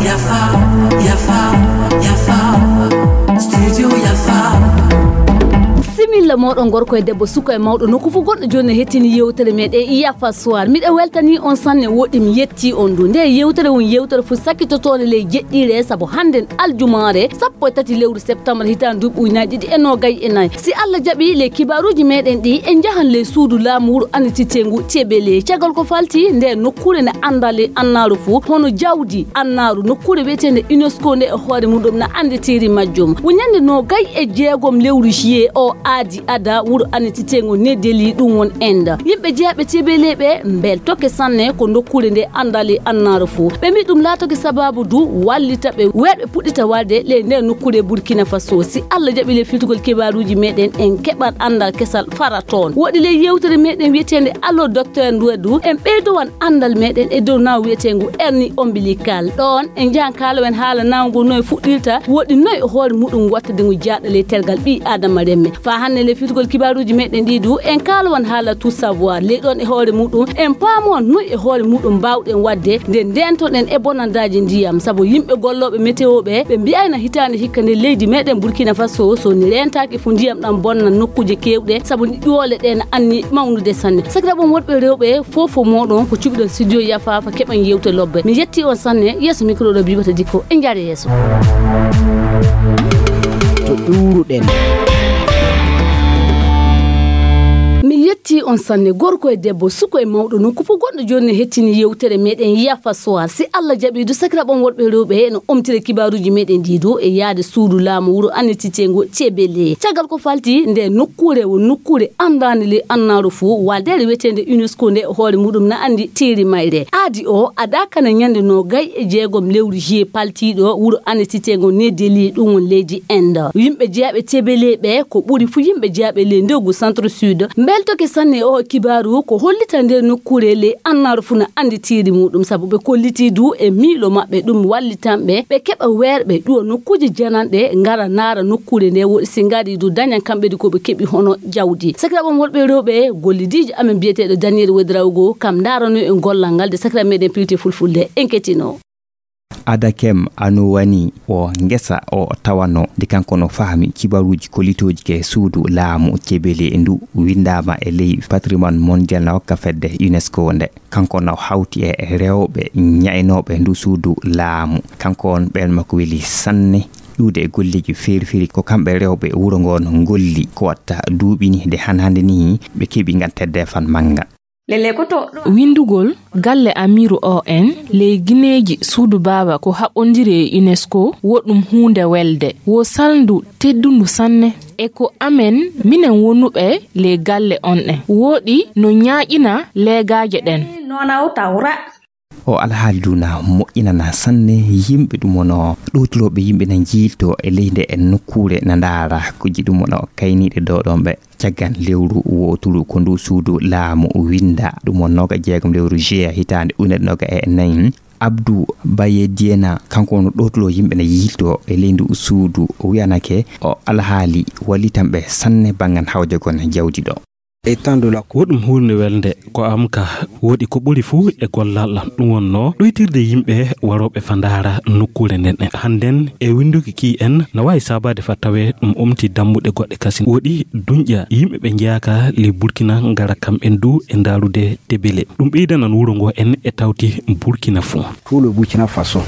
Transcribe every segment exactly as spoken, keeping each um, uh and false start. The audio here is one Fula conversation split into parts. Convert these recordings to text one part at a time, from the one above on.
Yafa, yafa, yafa. Studio yafa. Similla moɗon gorko e debbo, suka e mawɗo, nokku fof gonɗo jooni no hettini yewtere meɗen Yafa Soir. Miɗo weltani on sanne, woɗɗi mi yetti on du. Nde yewtere won yewtere fof sakkitotoonde ley jeɗɗiire, sabu hannden aljumaare sappo e tati lewru septembre hitaande duuɓi ujunaaji ɗiɗi e noogay e nayi. Si Allah jaɓi, ley kibaaruuji meɗen ɗi, en njahan ley suudu laamu wuro annititeengu Tebele. Caggal ko falti nde nokkuure nde anndaa ley annaaru fof, hono jawdi annaaru, nokkuure wiyeteende UNESCO nde e hoore muɗum na annditiiri majjum. Ko ñande noogay e jeegom lewru juillet o aadi ada wuro annititeengu New Delhi, ɗum won Inde. Yimɓe jeyaaɓe Tebele ɓe mbeltoke sanne ko nokkuure nde anndaa ley annaaru fof. Ɓe mbi ɗum laatoke sabaabu du wallita ɓe weerɓe puɗɗita walde ley nde nokkuure Burkina Faso. Si Allah jaɓi, ley filtugol kibaaruuji meɗen, en keɓan anndal kesal fara toon. Woɗɗi ley yewtere meɗen wiyeteende Allo Docteur ndu, en ɓeydowan anndal meɗen e dow naawu wiyeteengu hernie ombilical. Ɗoon en njahan kaalowen haala naawu ngu no e fuɗɗirta, woɗɗi no e hoore muɗum wattade ngu jaaɗa ley tergal ɓii Aadama remme. Faa hannde ley filtugol kibaaruuji meɗen ɗi du, en kaalowan haala tout savoir. Ley ɗoon e hoore muɗum, en paamowan no e hoore muɗum mbaawɗen waɗde nde ndeentoɗen e bonandaaji ndiyam, sabu yimɓe gollooɓe météo ɓe, ɓe mbiyayna hitaande hikka nde leydi meɗen Burkina Faso, so ni reentaaki fof ndiyam ɗam bonna nokkuuje keewɗe, sabu ɗoole ɗe na anni mawnude sanne. Sakiraaɓe am worɓe e rewɓe, fof fof mooɗon ko cuɓiɗon studio Yafa Fa keɓan yewte lobbe. Mi yetti on sanne, yeeso micro ɗo Bibata Dikko, en njaare yeeso. To ɗuuruɗen. Mi yetti on sanne, gorko e debbo, suko e mawɗo, nokku fof gonɗo jooni no hettini yewtere meɗen Yafa Soir. Si Allah jaɓi du, sakiraaɓe am worɓe e rewɓe, no omtire kibaaruuji meɗen ɗi du e yaade suudu laamu wuro annititeengu Tebele. Caggal ko falti nde nokkuure, wo nokkuure anndaande ley annaaru fof, waldeere wiyeteende UNESCO nde e hoore muɗum na anndi tiiri mayre. Aadi o ada kana ñande noogay e jeegom lewru juillet paltiiɗo wuro annititeengo New Delhi, ɗum won leydi Inde. Yimɓe jeyaaɓe Tebele ɓe ko ɓuri fuu yimɓe jeyaaɓe ley ndogu centre sud mbeltoke sanne e oo kibaaru ko hollita nde nokkuure ley annaaru fof na anndi tiiri muɗum, sabu ɓe kollitii du e miilo maɓɓe ɗum wallitan ɓe, ɓe keɓa weerɓe ɗuwa nokkuuje jananɗe ngara ndaara nokkuure nde, woɗɗi si ngari du dañan kamɓe du ko ɓe keɓi hono jawdi. Sakiraaɓe am worɓe e rewɓe, gollidiijo amen biyeteeɗo Daniel Wedraogo, kam ndaarano en gollal ngal de sakiraaɓe meɗen pilte fulfulde. En ketino. Adakem Anuwani o ngesa o tawano de kanko no fahmi kibaruuji kollitooji ke suudu laamu Tebele ndu windaama e ley patrimoine mondial na hokka fedde UNESCO nde. Kanko no hawti e rewɓe ñaynooɓe ndu suudu laamu. Kanko on ɓeen makko weli sanne ƴuwde e golleeji feeri feeri. Ko kamɓe rewɓe wuro ngoon ngolli ko watta duuɓi ni de han hannde ni ɓe keɓi ngan teddeefan mannga. Windugol galle Amiiru O N ley gineeji suudu baaba ko haɓondiri e UNESCO wo ɗum huunde welde. Wo salndu teddundu sanne. E ko amen, minen wonuɓe ley galle on ɗen, wooɗi no ñaaƴina leegaaje ɗen. O alhaali du na moƴƴinana sanne yimɓe ɗum wono ɗowtulooɓe yimɓe na njiilto e ley nde e nokkuure na ndaara ko ji ɗum wono kayniiɗe dooɗonɓe. Caggan lewru wooturu ko ndu suudu laamu winda ɗum won nooga jeegom lewru juillet hitaande ujunere nooga e nayi. Abdou Baye Diena, kanko woni ɗowtuɗo yimɓe ne yiilto e ley ndu suudu, o wiyanake o alhaali wallitanɓe sanne banngan hawjagol jawdi ɗo. Woɗɗum huunde welde ko am ka woɗi ko ɓuri fuu e gollal am. Ɗum wonnoo ɗoytirde yimɓe warooɓe fa ndaara nokkuure nden. Hannden e winnduki ki en na waawi saabaade fa tawee ɗum omti dammuɗe goɗɗe kasin. Woɗi duñƴa yimɓe ɓe njeyaaka ley Burkina ngara kamɓen du e ndaarude Tebele. Ɗum ɓeydanan wuro ngo en e tawti Burkina fuu. Tout le Burkina Faso.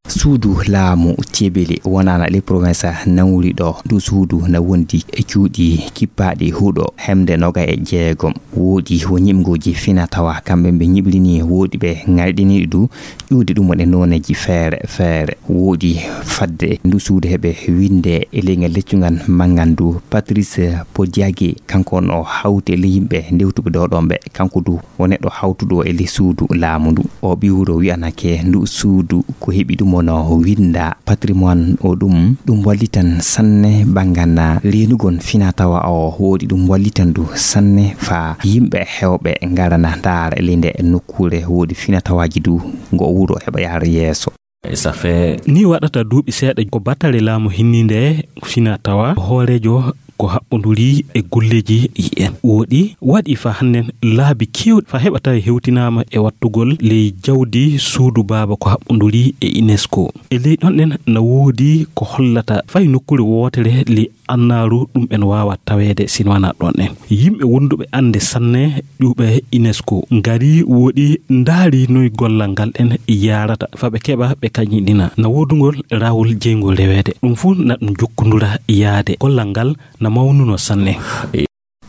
Suudu laamu Tebele wonaana ley province Naouri ɗo. Ndu suudu na wondi e cuuɗi kippaaɗi huɗo hemde noga e jeegom. Woodi wo ñiɓngooji fina tawa kamɓe ɓe ñiɓrini, woodi ɓe ŋayɗiniiɗi du ƴuwde ɗum woni nooneeji feere feere. Woodi fadde ndu suudu heɓe winnde e leyngal leccungal manngal ndu Patrice Podiague, kanko on o hawti e ley yimɓe ndewtuɓe ɗo ɗon ɓe. Kanko du o neɗɗo hawtuɗo e ley suudu laamu ndu. O ɓiwro wiyanake ndu suudu ko heɓi ɗum wono winnda patrimoine o ɗum, ɗum wallitan sanne banngal reenugol fina tawa o woodi ɗum wallitan ndu sanne fa yimɓe hewɓe ngarana ndaara e ley nde nokkuure woodi fina tawaaji du ngo wuro heɓa yaara yeeso. Ni waɗata duuɓi seeɗa ko batale laamu hinni nde fina tawa hooreejo ko haɓɓonduri e golleeji ɗi en. Wooɗi waɗi fa hannden laabi keewɗi fa heɓa tawi hewtinaama e wattugol ley jawdi suudu baaba ko haɓɓonduri e UNESCO. E ley ɗon ɗen na woodi ko hollata fay nokkuure wootere ley annaaru ɗum en waawa taweede sino wanaa ɗon ɗen. Yimɓe wonduɓe annde sanne ƴuuɓe UNESCO ngari wooɗi ndaari noy gollal ngal ɗen yaarata fa ɓe keɓa ɓe kañiɗina na woodugol raawol jeyngol reweede. Ɗum fuu na ɗum jokkondura yaade gollal ngal na mawnuno sanne.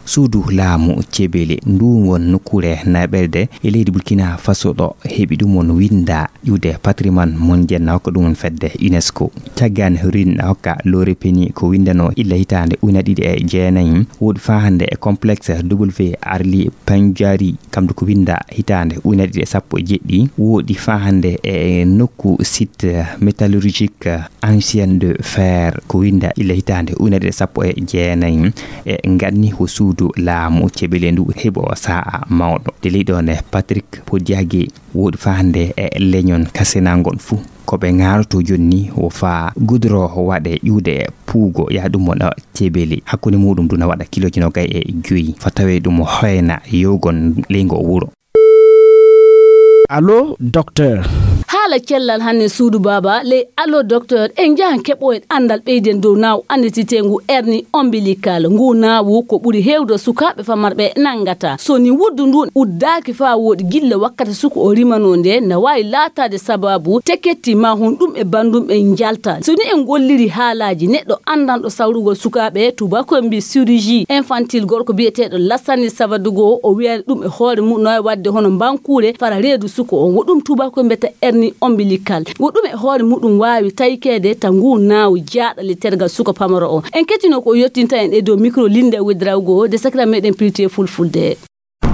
Suudu laamu Cebele ndu won nokkuure naɓerde e leydi Burkina Faso ɗo heɓi ɗum on winda ƴuude patrimoine mondial na hokka ɗum on fedde UNESCO. Caggan rin na hokka lori peni ko windano illa hitaande una ɗiɗi e jeenayi woodi fa hannde e complexe W Arli Panjari kamdu ko winda hitaande una ɗiɗi e sappo e jeɗɗi woodi fa hannde e nokku site métallurgique ancien de fer ko winda illa hitaande ujunere ɗiɗi e sappo e jeenayi. E nganni ko suudu laamu Cebele ndu heɓo sa'a mawɗo de leydi on e Patrick Podiage woodi fa hannde e leñol kasenango on fuu ko ɓe ŋaaroto jonni wo fa gudro waɗe ƴuude puugo yaha ɗum mo ɗo Cebele hakkunde muɗum duna waɗa kilooji nogay e joyi fa tawe ɗum hoyna yowgon leygo wuro. Allo, docteur. Haala cellal hannde suudu baaba ley Allo Docteur, en njahan keɓoyen anndal ɓeyden dow naawu anndititeengu hernie ombilical. Ngu naawu ko ɓuri heewde sukaaɓe famarɓe nanngata. So ni wuddu ndun uddaaki faa wooɗi gilla wakkati suka o rimanoo nde, na waawi laataade sabaabu teketti maa honɗum e banndum ɓen njalta. So ni en ngolliri haalaaji neɗɗo anndanɗo sawrugol sukaaɓe, tuubaakoy mbii chirurgie infantile, gorko biyeteeɗo Lassane Savadogo, o wiya ɗum e hoore muɗum no waawi waɗde hono mbankuure fara reedu suka on. Wo ɗum tuubaakoy mbiyata hernie ombilical. Wo ɗum e hoore muɗum waawi taykeede ta nguu naawu jaaɗa ley tergal suka pamaro on. En kettinoo ko o yottinta en e dow micro Linda Ouédraogo de sakira meɗen pirti e fulfulde.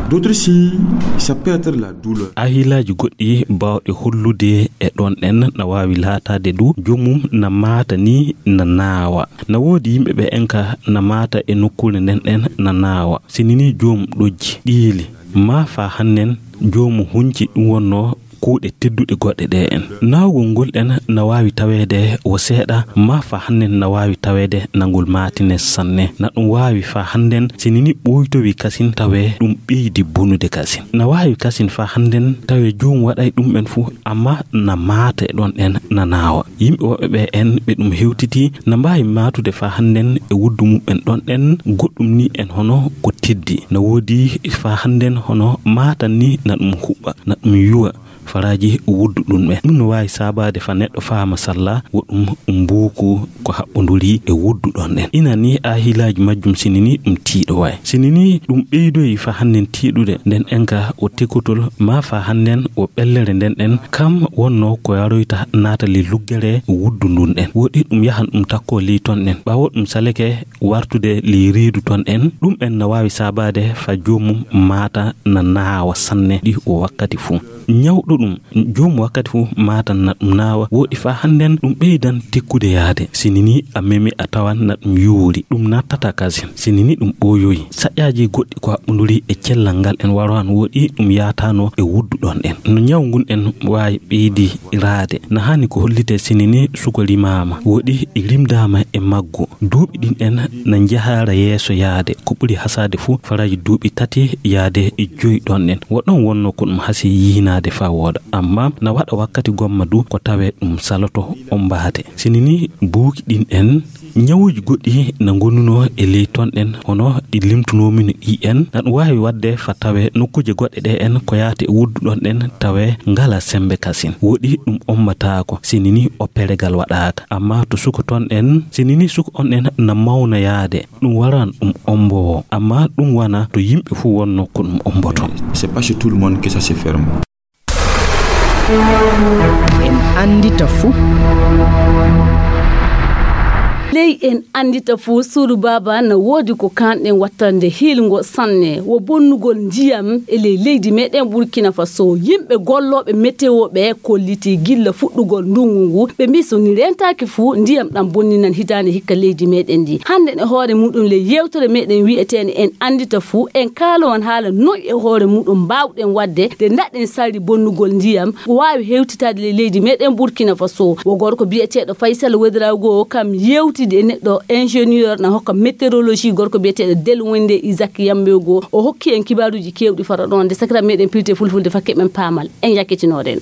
D'autres signes, ça peut être la douleur. Ahilaaji goɗɗi baawɗe hollude e ɗon ɗen na waawi laataade du joomum na maata ni na naawa. Na woodi yimɓe ɓe en ka na maata e nokkuure nden ɗen na naawa. Sinini joom ɗojji, ɗiili, maa faa hannen joomu hunci ɗum wonnoo kuuɗe tedduɗe goɗɗe ɗe en. Naawgol ngol ɗen na waawi taweede wo seeɗa, maa faa hannen na waawi taweede na ngol maatine sanne. Na ɗum waawi faa hannden sinini ɓooytowi kasin tawee ɗum ɓeydi bonude kasin. Na waawi kasin faa hannden tawee joom waɗay ɗum en fuu, amma na maate ɗon ɗen na naawa. Yimɓe woɓɓe ɓe en ɓe ɗum hewtiti na mbaawi maatude faa hannden e wuddu muɓɓen ɗon ɗen goɗɗum ni en hono ko teddi. Na woodi faa hannden hono maatan ni na ɗum huɓɓa, na ɗum yuwa faraaji wuddu ɗum ɓen. Ɗum no waawi saabaade faa neɗɗo faama salla wo ɗum mbuuku ko haɓɓonduri e wuddu ɗon ɗen. Ina ni aahilaaji majjum sinini ɗum tiiɗo waay. Sinini ɗum ɓeydoyi faa hannden tiiɗude nden en ka o tekotol maa faa hannden o ɓellere nden ɗen kam wonnoo ko yaroyta naata ley luggere wuddu ndun ɗen. Woɗi ɗum yahan ɗum takkoo ley ton ɗen. Ɓaawo ɗum saleke wartude ley reedu ton ɗen, ɗum en na waawi saabaade faa joomum maata na naawa sanne ɗi o wakkati fuu. Ñawɗo ɗum, joom wakkati fuu maatan na ɗum naawa, woɗi faa hannden ɗum ɓeydan tekkude yaade. Sinini a memi a tawan na ɗum yuuri, ɗum nattata kasin. Sinini ɗum ɓooyoyi. Saƴƴaaji goɗɗi ko haɓɓunduri e cellal ngal en waro han woɗi ɗum yaataano e wuddu ɗon ɗen. No ñaw ngun en waawi ɓeydi raade. Na haani ko hollitee sinini suka rimaama, woɗi rimdaama e maggu. Duuɓi ɗin en na njahaara yeeso yaade. Ko ɓuri hasaade fuu faraaji duuɓi tati yaade e joyi ɗon ɗen. Wo ɗon wonnoo ko ɗum hasi yiinaade faa wooɗa. Amma na waɗa wakkati gomma du ko tawee ɗum saloto ombaade. Sinini buuki ɗin en ñawuuji goɗɗi na ngonunoo e ley ton ɗen hono ɗi limtunoomi no ɗi en. Na ɗum waawi waɗde faa tawee nokkuuje goɗɗe ɗe en ko yaati e wuddu ɗon ɗen tawee ngalaa semmbe kasin. Woɗi ɗum ommataako, sinini o peregal waɗaaka. Amma to suka ton ɗen, sinini suka on ɗen na mawna yaade, ɗum waran ɗum ombowo. Amma ɗum wana to yimɓe fuu wonnoo ko ɗum omboto. C'est pas chez tout le monde que ça se ferme. En anndita fuu. Ley en anndita fuu, suudu baaba na woodi ko kaanɗen wattande hiilngo sanne, wo bonnugol ndiyam e ley leydi meɗen Burkina Faso. Yimɓe gollooɓe meteo ɓe kollitii gilla fuɗɗugol ndungu ngu. Ɓe mbii so ni rentaaki fuu, ndiyam ɗam bonninan hitaande hikka leydi meɗen ndi. Hannden e hoore muɗum ley yewtere meɗen wi'eteende en anndita fuu, en kaalowan haala noy e hoore muɗum mbaawɗen waɗde nde ndaɗen sarri bonnugol ndiyam ko waawi hewtitaade ley leydi meɗen Burkina Faso. Wo gorko biyeteeɗo Faysal Wedrawgo kam yewti Tidi e neɗɗo ingénieur na hokka météorologie gorko biyeteeɗo Del Wende Isaac Yambe goo. O hokki en kibaaruuji keewɗi faro ɗon. Nde sakira meɗen pilite fulfulde fakke men paamal. En yakkitinoɗen.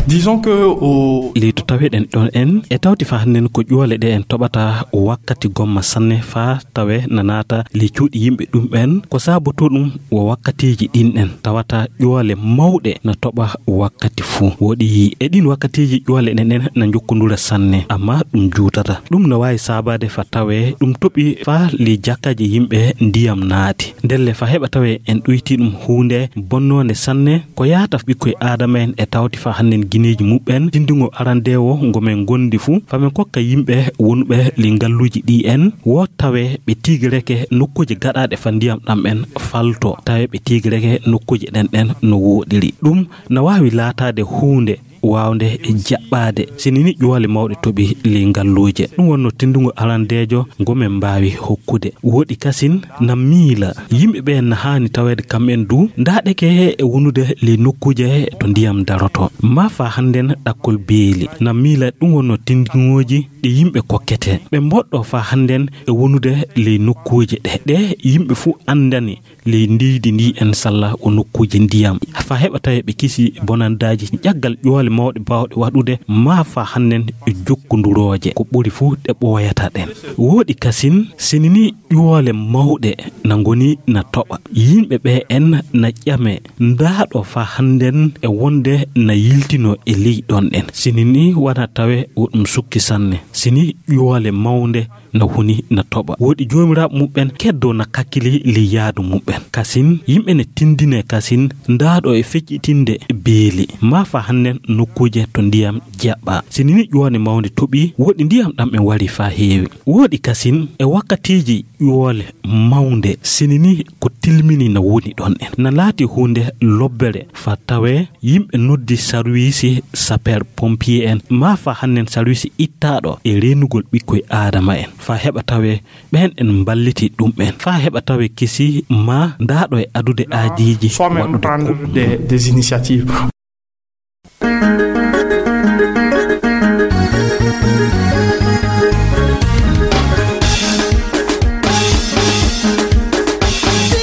Disons que o Leydi to taweɗen ɗon en, e tawti fa hannden ko ƴuwale ɗe en toɓata wakkati gomma sanne fa tawe na naata ley cuuɗi yimɓe ɗum ɓen. Ko saaboto ɗum wo wakkatiiji ɗin ɗen tawata ƴuwale mawɗe na toɓa wakkati fuu. Woɗi e ɗin wakkatiiji ƴuwale ɗen ɗen na njokkondura sanne, amma ɗum juutata. Ɗum na waawi saabaade fa tawe ɗum toɓi fa ley jakkaaji yimɓe ndiyam naati. Ndelle fa heɓa tawe en ɗoyti ɗum huunde bonnoonde sanne, ko yaata ɓikkoy Aadama en e tawti fa hannden gineeji muɓɓen, tindingo arandeewo ngo men ngondi fuu, fa men kokka yimɓe wonuɓe ley ngalluuji ɗi en, wo tawe ɓe tiigireke nokkuuje gaɗaaɗe fa ndiyam ɗam en falto, tawe ɓe tiigireke nokkuuje ɗen ɗen no wooɗiri. Ɗum na waawi laataade huunde waawnde jaɓɓaade, sini ni ƴuwale mawɗe toɓi ley ngalluuje. Ɗum wonno tindungo arandeejo ngo men mbaawi hokkude. Woɗi kasin na miila yimɓe ɓe na haani taweede kam en du, ndaaɗeke e wonude ley nokkuuje to ndiyam daroto. Ma fa hannden ɗakkol beeli. Na miila ɗum wonno tindingooji ɗi yimɓe kokkete. Ɓe mboɗɗo fa hannden e wonude ley nokkuuje ɗe. Ɗe yimɓe fuu anndani ley ndiydi ndi en salla o nokkuuje ndiyam. Fa heɓa tawe ɓe kisi bonandaaji ƴaggal ƴuwale mawɗe baawɗe waɗude ma fa hannden e jokkondurooje. Ko ɓuri fuu ɗe ɓooyata ɗen. Woɗi kasin, sini ni ƴuwale mawɗe na ngoni na toɓa. Yimɓe ɓe en na ƴame ndaaɗo fa hannden e wonde na yiltino e ley ɗon ɗen. Sini ni wana tawe wo ɗum sukki sanne. Sini ƴuwale mawnde na huni na toɓa. Woɗi joomiraaɓe muɓɓen keddo na kakkili ley yaadu muɓɓen. Kasin, yimɓe ne tindine kasin ndaaɗo e feccitinde beeli. Ma fa hannden nokkuuje to ndiyam jaɓɓa. Sini ni ƴuwale mawnde toɓi, woɗi ndiyam ɗam en wari fa heewi. Woɗi kasin e wakkatiiji ƴuwale mawnde, sini ni ko tilmini na woni ɗon en. Na laati huunde lobbere fa tawe yimɓe noddi sarwiisi sapeur pompier en, ma fa hannden sarwiisi ittaaɗo e reenugol ɓikkoy Aadama en. Fa heɓa tawe ɓen en mballiti ɗum en. Fa heɓa tawe kisi ma ndaaɗo e adude aajiiji soi-même waɗude prendre ko des, des initiatives.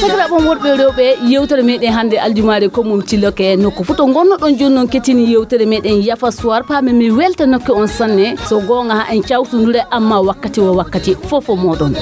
Sakiraaɓe am worɓe e rewɓe, yewtere meɗen hannde aljumaare ko mum Ciloke, nokku fof to ngonnoɗon jooni noon kettini yewtere meɗen Yafa Soir, paamen mi weltanoke on sanne. So goonga haa en cawtondure, amma wakkati wo wakkati fof o moɗon.